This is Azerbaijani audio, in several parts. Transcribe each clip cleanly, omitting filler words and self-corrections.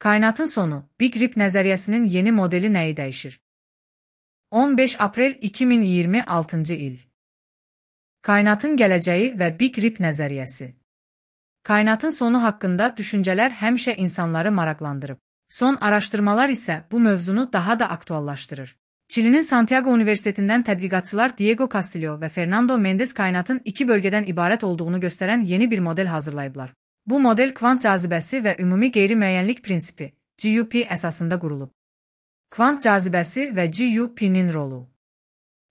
Kainatın sonu, Big Rip nəzəriyyəsinin yeni modeli nəyi dəyişir? 15 aprel 2026 il. Kainatın gələcəyi və Big Rip nəzəriyyəsi. Kainatın sonu haqqında düşüncələr həmişə insanları maraqlandırıb. Son araşdırmalar isə bu mövzunu daha da aktuallaşdırır. Çilinin Santiago Universitetindən tədqiqatçılar Diego Castillo və Fernando Mendes kainatın iki bölgədən ibarət olduğunu göstərən yeni bir model hazırlayıblar. Bu model kvant cazibəsi və ümumi qeyri-müəyyənlik prinsipi, GUP əsasında qurulub. Kvant cazibəsi və GUP-nin rolu.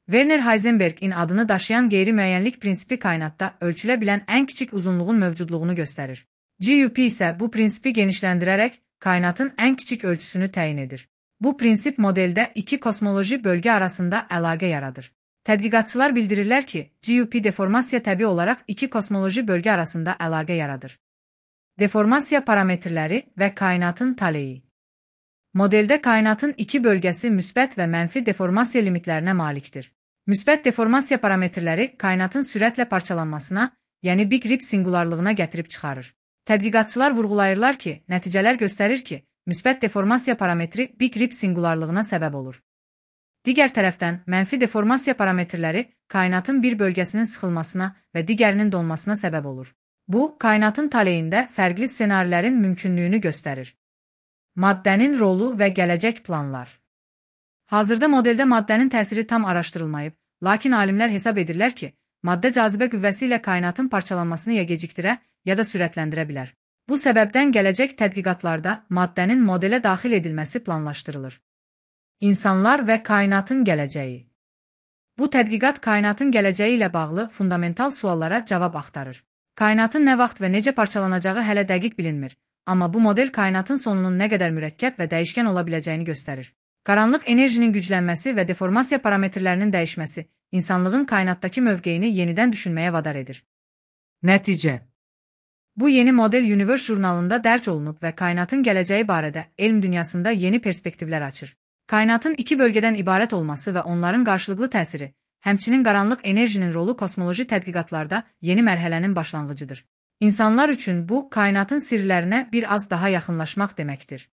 Werner Heisenberg'in adını daşıyan qeyri-müəyyənlik prinsipi kainatda ölçülə bilən ən kiçik uzunluğun mövcudluğunu göstərir. GUP isə bu prinsipi genişləndirərək kainatın ən kiçik ölçüsünü təyin edir. Bu prinsip modeldə iki kosmoloji bölgə arasında əlaqə yaradır. Tədqiqatçılar bildirirlər ki, GUP deformasiya təbii olaraq iki kosmoloji bölgə arasında əlaqə yaradır. Deformasiya parametrləri və kainatın taleyi. Modeldə kainatın iki bölgəsi müsbət və mənfi deformasiya limitlərinə malikdir. Müsbət deformasiya parametrləri kainatın sürətlə parçalanmasına, yəni Big Rip singularlığına gətirib çıxarır. Tədqiqatçılar vurğulayırlar ki, nəticələr göstərir ki, müsbət deformasiya parametri Big Rip singularlığına səbəb olur. Digər tərəfdən, mənfi deformasiya parametrləri kainatın bir bölgəsinin sıxılmasına və digərinin donmasına səbəb olur. Bu, kainatın taleyində fərqli ssenarilərin mümkünlüyünü göstərir. Maddənin rolu və gələcək planlar. Hazırda modeldə maddənin təsiri tam araşdırılmayıb, lakin alimlər hesab edirlər ki, maddə cazibə qüvvəsi ilə kainatın parçalanmasını ya gecikdirə, ya da sürətləndirə bilər. Bu səbəbdən gələcək tədqiqatlarda maddənin modelə daxil edilməsi planlaşdırılır. İnsanlar və kainatın gələcəyi. Bu tədqiqat kainatın gələcəyi ilə bağlı fundamental suallara cavab axtarır. Kainatın nə vaxt və necə parçalanacağı hələ dəqiq bilinmir, amma bu model kainatın sonunun nə qədər mürəkkəb və dəyişkən ola biləcəyini göstərir. Qaranlıq enerjinin güclənməsi və deformasiya parametrlərinin dəyişməsi insanlığın kainatdakı mövqeyini yenidən düşünməyə vadar edir. Nəticə. Bu yeni model Universe jurnalında dərc olunub və kainatın gələcəyi barədə elm dünyasında yeni perspektivlər açır. Kainatın iki bölgədən ibarət olması və onların qarşılıqlı təsiri, həmçinin qaranlıq enerjinin rolu kosmoloji tədqiqatlarda yeni mərhələnin başlanğıcıdır. İnsanlar üçün bu, kainatın sirlərinə bir az daha yaxınlaşmaq deməkdir.